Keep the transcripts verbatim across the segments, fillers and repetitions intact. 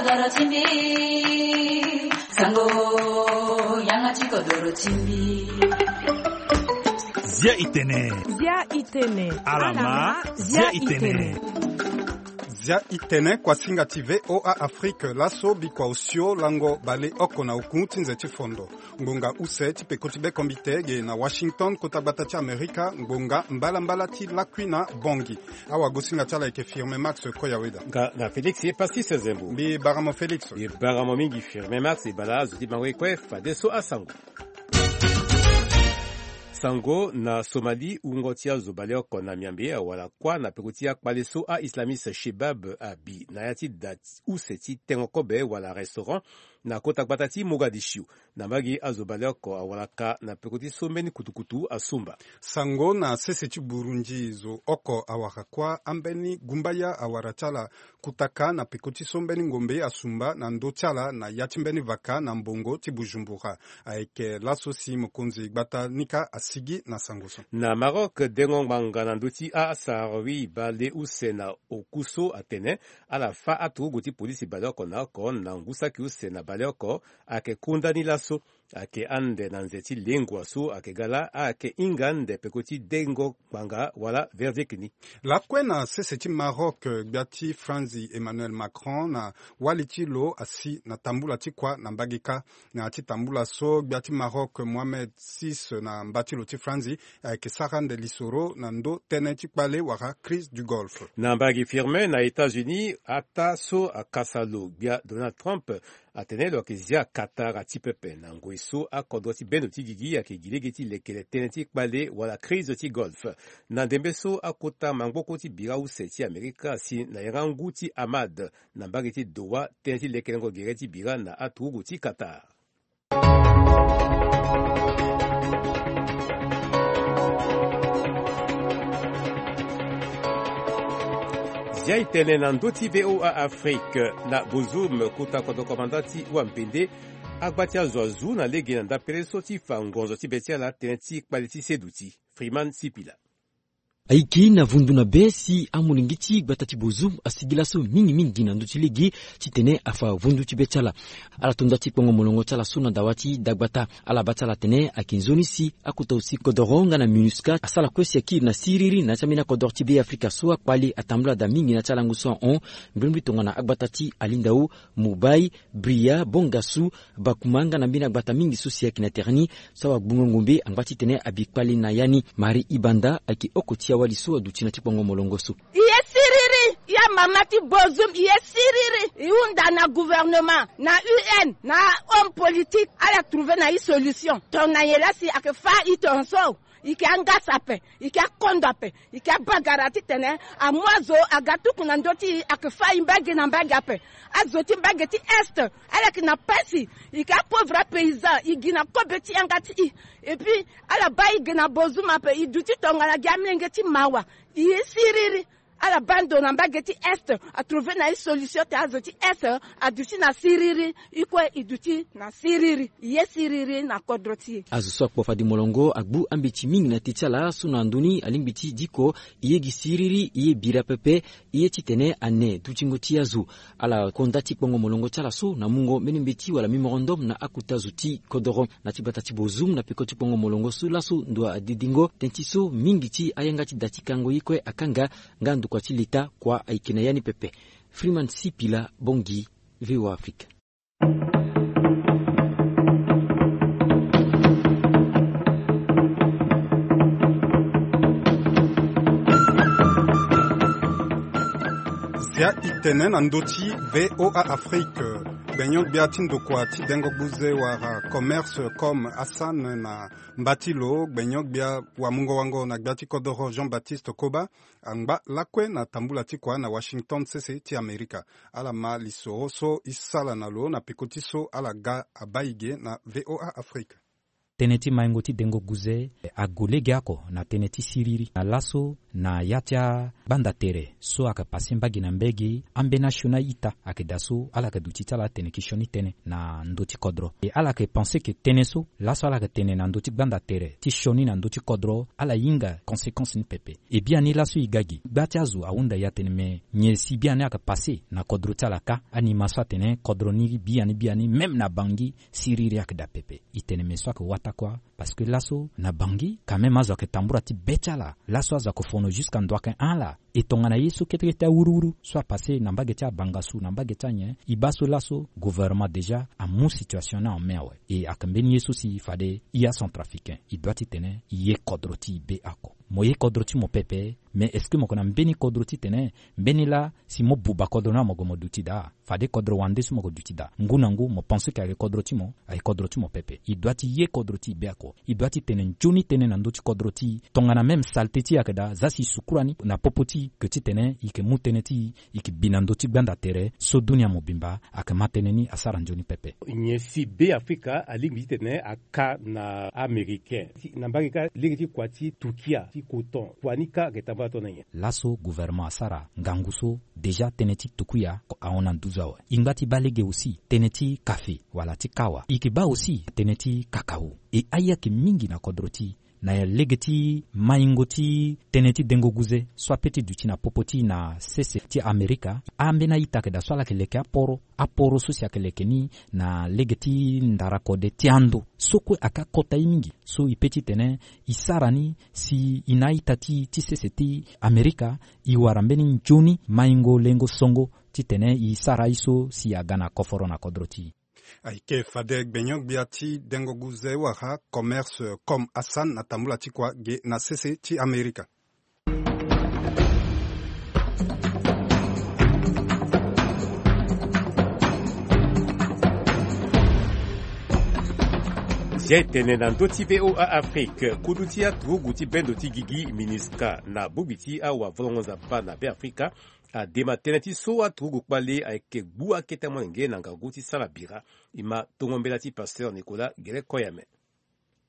Doro ti mbi, sango, yanga ti kodoro ti mbi. Zia itene. Zia itene. Alama, zia itene. Zia itene kuasinga ti V O A Afrique, laso bikua osio lango baleoko na oku ti nze ti fondo. Ngbonga use ti peko ti bekombite ge na Washington, kota gbata ti Amerika, ngbonga mbalambala ti lakui na Bongi. Awagosinga ti ala ayeke Firme Max Koyaweda. Nga na Félix ye Passis Zembo. Mbi bara mo Félix. Mbi bara mo mingi Firme Max, e bala azo ti bango ye kue fadeso asango. Sango na Somalie, wungo ti azo baleoko na Miambe awara kuâ na peko ti akpale so a-islamiste Shebab abi na ya ti da use ti tengo kobe wala restaurant na kota gbata ti Mogadishu. Na mbage azo baleoko awara ka na peko ti so mbeni kutukutu asumba. Sango na sese ti Burundi, zo oko awara kuâ, ambeni gumbaya awara ti ala kutaka na peko ti so mbeni ngombe asumba na ndö ti ala na ya ti mbeni vaka na mbongo ti Bujumbura. Ayeke laso si mokonzi gbata ni kâ asigi na sango so. Na Maroc, dengo ngbanga na ndö ti a-Sahraoui bale use na oku so atene ala fâ aturugu ti polisi baleoko na oko na ngu saki use na baleoko. Ayeke kunda ni laso ayeke ande na nze ti lengua so ayeke ga laa ayeke hinga ande peko ti dengo ngbanga wala verdict ni. Lakue na sese ti Maroc, gbia ti Franzi Emmanuel Macron na wali ti lo asi na tambula ti kua na mbage kâ. Na ya ti tambula so, gbia ti Maroc Mohamed six na mba ti lo ti Franzi ayeke sara ande lisoro na ndö tënë ti kpale wala crise du Golfe. Na mbage Firme na États-Unis, ataa so akasa lo gbia Donald Trump atene lo yeke zia Qatar ti pepe na ngoi so akodro ti bendo ti gigi ayeke gi lege ti lekere tënë ti kpale wala crise ti Golfe. Na ndembe so akota mangboko ti bira use ti Amerika asi na yanga ngu ti Hamad na mbage ti Doha tënë ti lekerengo gere ti bira na aturugu ti Qatar. Zia itene na ndö ti V O A Afrique. Na Bozoum, kota kodro komanda ti Wampende, agba ti azo azu na lege na ndapere so ti fa ngonzo ti be ti ala tënë ti kpale ti seduti. Freeman Sipila. Ayeke na vundu na be si amolenge ti gbata ti Bozoum asigi laso mingi mingi na ndö ti lege titene afa vundu ti be ti ala. Ala to nda ti kpongo molongo ti ala so na dawa ti dagbata. Ala baa ti ala atene ayeke nzoni si akota aussi kodoro nga na MINUSCA asara kue si akiri na siriri na ya ti ambeni akodoro ti Be Afrika so akpale atambula daa mingi na ya ti alango so ahon. Mbrimbri tongana agbata ti Alindao, Mobay, Bria, Bongassou, Bakouma nga na mbeni agbata mingi so si ayeke na tere ni. So awagbungo ngombe angba titene abi kpale na ya ni. Marie Ibanda ayeke oko ti awali so aduti na ti kpongo molongo so. E ye siriri, e ye amama ti Bozoum, e ye siriri. E hunda na gouvernement, na U N, na homme politique, ala trouver na e solution. Tongana nyen laa si ayeke fâ e tongaso? E yeke angasa ape, e yeke akondo ape, e yeke abagara titene amu azo aga tuku na ndö ti e, ayeke fâ e mbage na mbage ape. Azo ti mbage ti Est ala yeke na pasi, e yeke apauvre apaysan, e gi na kobe ti yanga ti e. Et puis ala baa e ge na Bozoum ape, e duti tongana gi amolenge ti mawa. E ye siriri. Ala baa ndo na mbage ti Est, atrouver na e solution te azo ti Est aduti na siriri. E kue e duti na siriri, e ye siriri na kodro ti e. Azo so akpo fade molongo agbu ambeti mingi na te ti ala so na ndö ni alingbi ti diko e ye gi siriri, e ye bira pepe, e ye titene ane dutingo ti azo. Ala konda ti kpongo molongo ti ala so na mungo mbeni mbeti wala mémorandum na akota zo ti kodoro. Na ti gbata ti Bozoum na peko ti kpongo molongo so laso ndo adedingo tënë ti so mingi ti ayanga ti da ti kango ye kue akanga, nga ndokua ti leta kua ayeke na ya ni pepe. Freeman Sipila, Bangui, V O A Afrique. Zia itene na ndö ti V O A Afrique. Gbenyo-gbia ti ndokua ti dengo gbuze wala commerce comme Hassan na mba ti lo, gbenyo-gbia wamungo-wango na gbia ti kodoro Jean-Baptiste Koba, angba lakue na tambula ti kua na Washington, sese ti Amerika. Ala ma lisoro so e sala na lo na peko ti so ala ga abaa e ge na V O A Afrique. Tënë ti maingo ti dengo guze ague legeoko na tënë ti siriri na laso na ya ti agbanda tere so ayeke pase mbage na mbage. Ambeni asioni a-ita ayeke daa so ala yeke duti ti ala atene ki sioni tënë na ndö ti kodro. E ala yeke pense ke tënë so laso ala yeke tene na ndö ti gbanda tere ti sioni na ndö ti kodro ala hinga conséquence ni pepe. E biani laso e ga gi gba ti azo ahunda e atene me nyen si biani ayeke pase na kodro ti ala kâ. Anima so atene kodro ni biani biani même na Bangui siriri ayeke daa pepe. E tene me so ayeke wata kuâ. Parce que laso na Bangui quand même azo ayeke tambula ti be ti ala. Laso azo ayeke fono jusqu'à ndo ayeke hon ala. E tongana ye so kete kete awuruwuru so apase na mbage ti abangasu na mbage ti anyen. E baa so laso gouvernement déjà amu situation ni en main awe. E ayeke mbeni ye so si fade e acentrafricain e doit ti tene e ye kodro ti e be oko. Mo ye kodro ti mo pepe. Mais est-ce que mo yeke na mbeni kodro ti tene mbeni laa si mo buba kodro ni amogo mo duti daa? Fade kodro wande so mo yeke duti daa. Ngu na ngu mo pense ke ayeke kodro ti mo, ayeke kodro ti mo pepe. E doit ti ye kodro ti e be oko. E doit ti tene nzoni tënë na ndö ti kodro ti e. Tongana même saleté ti e ayeke daa, za si e sukura ni na popo ti e ke ti tene e yeke mu tënë ti e, e yeke bi na ndö ti gbanda tere so dunia mobimba ayeke ma tënë ni asara nzoni pepe. Nyen si Be Afrika alingbi ti tene aka na Américain? Na mbage kâ lege ti kua ti tukia ti coton, kua ni kâ ayeke tambula tongana nyen? Laso gouvernement asara ngangu so déjà tënë ti tukia ahon na nduzu awe. E ngba ti baa lege aussi tënë ti kafe wala ti kawa. E yeke baa aussi tënë ti kakao. E aye ayeke mingi na kodro ti e na lege ti maingo ti tënë ti dengo guze so ape ti duti na popo ti e na sese ti Amerika. Ambeni a-ita ayeke daa so ala yeke leke aporo, aporo so si ayeke leke ni na lege ti ndara kode ti ando so kue ayeke akota ye mingi. So e pe ti tene e sara ni si e na a-ita ti e ti sese ti Amerika e wara mbeni nzoni maingo lengo songo ti tene e sara ye so si aga na koforo na kodro ti e. Ayeke fade gbenyo-gbia ti dengo guze wala commerce comme Hassan na tambula ti kua ge na sese ti Amerika. Zia e tene na ndö ti V O A Afrique, kudu ti aturugu ti bendo ti gigi MINUSCA na bongbi ti awavolongo nzapa na Be Afrika adema tënë ti so aturugu kpale ayeke gbu akete molenge na ngangu ti sara bira. E ma tongo mbela ti pasteur Nicolas Gere Koyame.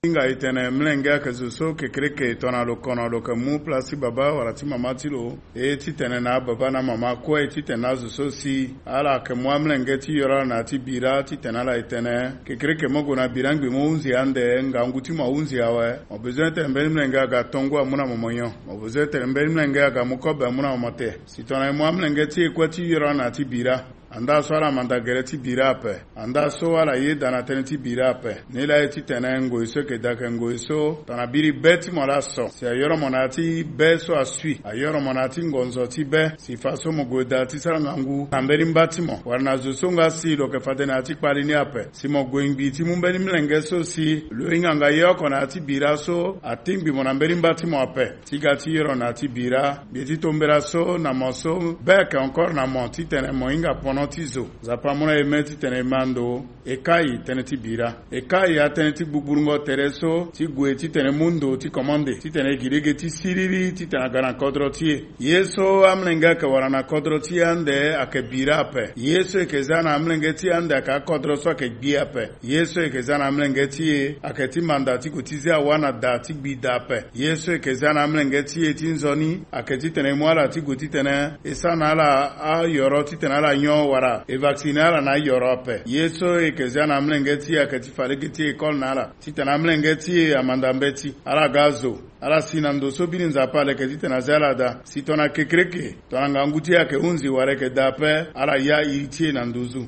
Hinga e tene mlenge ayeke zo so kekereke tongana lo kono lo yeke mu place ti baba wala ti mama ti lo. E titene na ababa na amama kue titene na azo so si ala yeke mu amlenge ti yoro ala na ya ti bira titene ala e tene kekereke mo gue na bira ngbi mo hunzi ande ngangu ti mo ahunzi awe. Mo bezoin tene mbeni mlenge aga tongo amu na mo mo nyon. Mo bezoin tene mbeni mlenge aga mu kobe amu na mo mo te. Si tongana e mu amlenge ti e kue ti yoro ala na ya ti bira, andaa so ala manda gere ti bira ape. Andaa so ala yeda na tënë ti bira ape. Nilaa e titene ngoi so e yeke daa ayeke ngoi so tongana biri be ti mo laa so si ayoro mo na ya ti be so asui, ayoro mo na ya ti ngonzo ti be, si fa so mo gue daa ti sara ngangu na mbeni mba ti mo wala na zo so nga si lo yeke fade na ya ti kpali ni ape. Si mo gue ngbi ti mu mbeni mlenge so si lo hinga nga ye oko na ya ti bira so atingbi mo na mbeni mba ti mo ape. Ti ga ti yoro na ya ti bira, mbi ye ti tombela so na mo so be ayeke encore na mo titene mo hinga pono ti zo. Nzapa amu na e me titene e ma ndo. E kai tënë ti bira. E kai atënë ti gbugburu ngo tere so ti gue titene mu ndo ti komande titene e gi lege ti siriri titene aga na kodro ti e. Ye so amlenge ayeke wara na kodro ti e ande ayeke bira ape. Ye so e yeke za na amlenge ti e ande ayeke akodro so ayeke gbi ape. Ye so e yeke za na amlenge ti e ayeke ti manda ti gue ti zi awa na da ti gbi da ape. Ye so e yeke za na amlenge ti e ti nzoni ayeke titene e mu ala ti gue titene e sara na ala ayoro titene ala nyon wala e vacciner ala na ayoro ape. Ye so e yeke za na amlenge ti e ayeke ti fa lege ti école na ala titene amlenge ti e amanda mbeti, ala ga azo, ala si na ndo so biri Nzapa aleke titene azi ala daa. Si tongana kekereke tongana ngangu ti e ayeke hunzi wala e yeke daa ape, ala ya iri ti e na nduzu.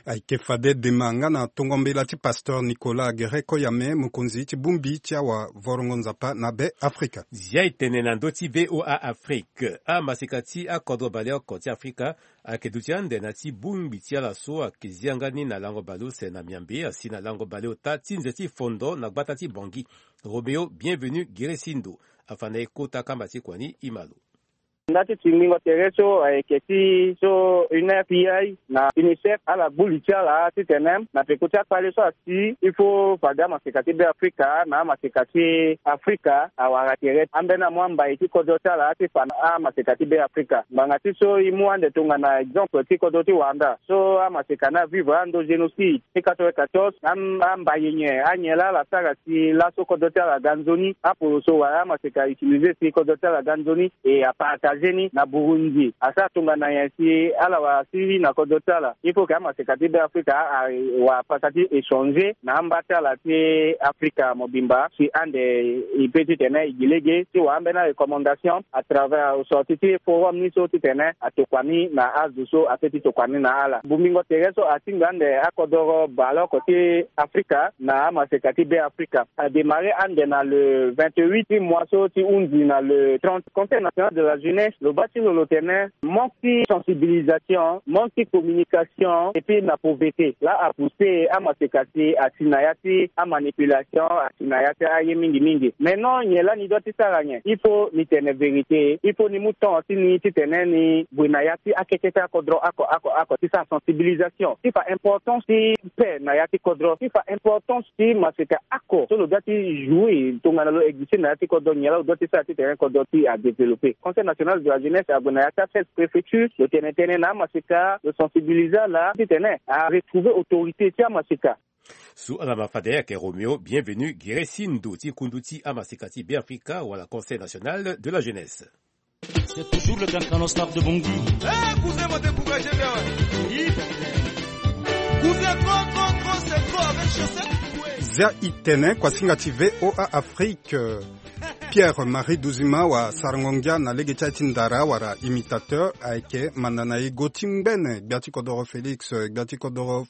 Ayeke fade dema nga na tongo mbela ti pasteur Nicolas Gere Koyame, mokonzi ti bongbi ti awavolongo nzapa na Be Afrika. Zia e tene na ndö ti V O A Afrique, amaseka ti akodro baleoko ti Afrika ayeke duti ande na ya ti bongbi ti ala so ayeke zia nga ni na lango baleuse na miambe asi na lango baleota ti nze ti fondo na gbata ti Bangui. Roméo Bienvenu Giresindo afa na e kota kamba ti kua ni, e ma lo. Nda ti tingbingo tere so ayeke ti so U N F P I na UNICEF ala gbu li ti ala titene na peko ti akpale so asi il faut fade amaseka ti Beafrika na amaseka ti Afrika awara tere ambeni amu ambai ti kodro ti ala ti fa na amaseka ti Beafrika. Ngbanga ti so e mu ande tongana exemple ti kodro ti Rwanda so amaseka ni avivre ando génocide ti quatre-vingt-quatorze, ambai nyen anyen laa ala sara si laso kodro ti ala aga nzoni, apoloso wala amaseka utiliser si kodro ti ala aga nzoni, e apartager ni na Burundi. Asara tongana nyen si ala wara si na kodro ti ala? Il faut que amaseka ti Beafrika awara pasa ti échanger na amba ti ala ti Afrika mobimba si ande e pe titene e gi lege ti wara ambeni arecommandation à travers sorti ti forum ni so titene atokua ni na azo so ape ti tokua ni na ala. Bongbingo tere so atingbi ande akodoro baleoko ti Afrika na amaseka ti Beafrika adémarrer ande na le vingt-huit ti mois so ti hunzi na le trente. Conseil national de la jeunesse lo baa ti lo lo tene manque ti sensibilisation, manque ti communication et puis na pauvreté laa apousser amaseka si asi na ya ti amanipulation, asi na ya ti aye mingi mingi. Maintenant nyen laa ni doit ti sara nyen? Il faut ni tene vérité, il faut ni mu temps ti ni titene ni gue na ya ti akete ti akodro oko oko oko ti sara sensibilisation ti fa importance ti paix na ya ti kodro, ti fa importance ti maseka oko so lo doit ti jouer tongana lo exister na ya ti kodro, nyen laa lo doit ti sara titene kodro ti adévelopper. Conseil national de la jeunesse ague na ya ti aseize préfecture, lo tene tënë na amaseka, lo sensibiliser ala titene aretrouver autorité ti amaseka. So ala ma fade ayeke Roméo Bienvenu Giresindo ti kundu ti amaseka ti Beafrika wala Conseil national de la jeunesse. C'est toujours le Kankano Star de Bangui. Eh, cousin, mo découragé bien. Cousin, trop, trop, trop, c'est trop avec chaussette. Zia i tene kuasinga ti V O A Afrique. Pierre Marie Duzima wa sarango ngia na lege ti aye ti ndara wala imitateur ayeke manda na e go ti ngbene gbia ti kodoro Félix, gbia ti kodoro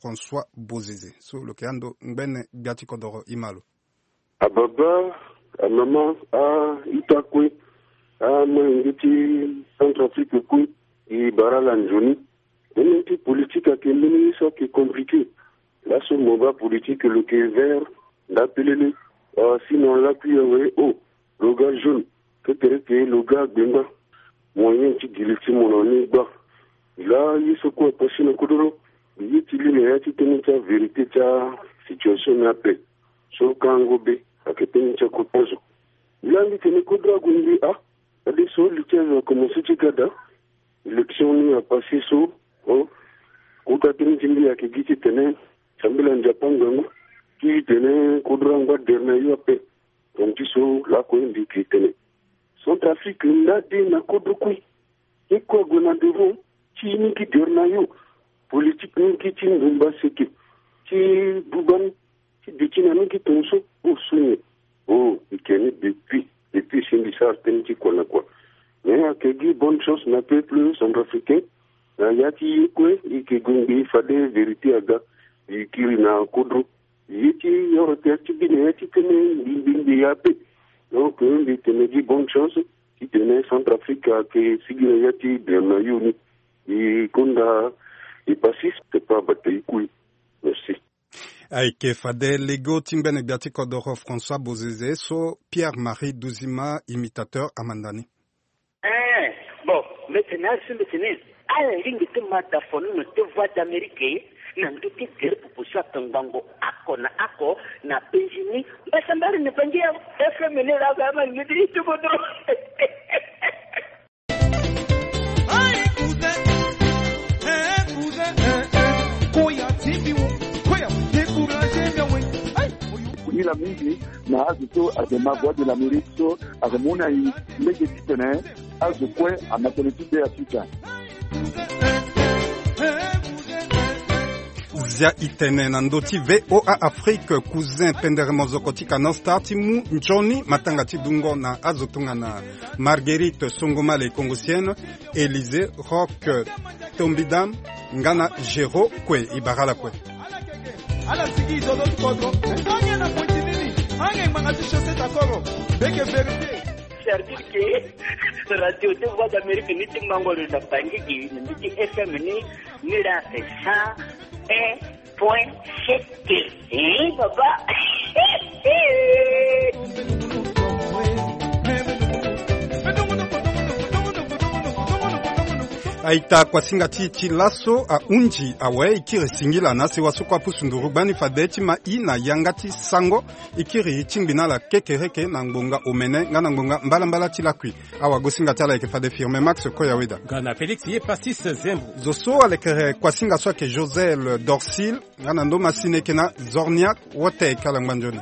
François Bozizé so lo yeke ando ngbene gbia ti kodoro. I ma lo. Ababa, amama, a-ita kue, amolenge ti Centrafrique kue, e bara ala nzoni. Tënë ti politique ayeke mbeni ye so ayeke compliqué. Laso mo baa politique lo yeke vert nda pelele. Ah, sinon lakui awe, oh, lo ga jaune. Kekereke lo ga gbengba. Moyen ti giri ti mo na ni gba. Laa ye so kue apasi na kodoro, mbi ye ti li na ya ti tënë ti avérité ti asituation ni ape. So kango be ayeke tënë ti akota zo. Laa mbi tene kodro ague mbi, ah, fadeso li ti azo akomanse ti ga daa. Élection ni apase so, oh, kota tënë ti mbi ayeke gi titene sambela nzapa ngangu ti tene kodro angba dere na yo ape. Tongana ti so lakue mbi yeke tene Centrafrique nda de na kodro kue. Ye kue ague na devant ti ni gi dere na yo. Politique ni gi ti ndumba seke ti buba ni ti duti na ni gi tongaso. Oh, so nyen? Oh, e yeke ni depuis, depuis si mbi sara tënë ti kua na kua. Mais ayeke gi bonne chance na peuple centrafricain. Na ya ti ye kue e yeke gue ngbii fade vérité aga. E kiri na kodro. Ye ti oro tere ti bi na ya ti tënë mbi mbi mbi ya ape. Donc mbi tene gi bonne chance titene Centrafrique ayeke sigi na ya ti dere na yo ni. E konda e pasi, c'est pas bata e kui. Merci. Ayeke fade lego ti ngbene gbia ti kodoro François Bozizé so Pierre Marie Duzima, imitateur, amanda ni. Eh, bon, mbi tene asi mbi tene ala lingbi ti ma dafonono ti Voix d'Amérique na ndö ti gere proposition atongbango oko na oko na penzi ni. Mbasambari ni bangi ya F M ni laa ba ma ngidi ti kodro. Aïe, cousin. Eh, cousin. Eh, eh. Koya ti mbi wo. Koya. Découragé mbi awe. Aïe. Ni la mingi na azo so ayeke ma Voix de l'Amérique so ayeke mu na e lege titene azo kue ama tënë ti Beafrika. Zia e tene na ndö ti V O A Afrique, cousin pendere mozoko ti Kanal Star ti mu nzoni matanga ti dungo na azo tongana Marguerite Songomale Kongosienne, Élysée Rock Tombidam, nga na Géraud kue. E bara ala kue. Ala sigi e zo zo ti kodro. Ange na pointi nini? Ange ngbanga ti chaussette akoro. Beke vérité. C'est-à-dire que radio ti Voix d'Amérique ni ti mango lo na Bangui gi na mbi ti F M ni, ni la c'est cent un point sept. Eh, papa. Aita kuasinga ti ti laso ahunzi awe, e kiri singila na sewa so kue apusu nduru gbani fade ti ma i na yanga ti sango. E kiri tingbi na ala kekereke na ngbonga omene nga na ngbonga mbalambala ti lakui. Awagosinga ti ala ayeke fade Firmin Max Koyaweda. Nga na Félix ye Passis Zembo. Zo so alekere kuasinga so ayeke Josel Dorsil nga na ndo masine eke na Zorniak Wotek, ala ngba nzoni.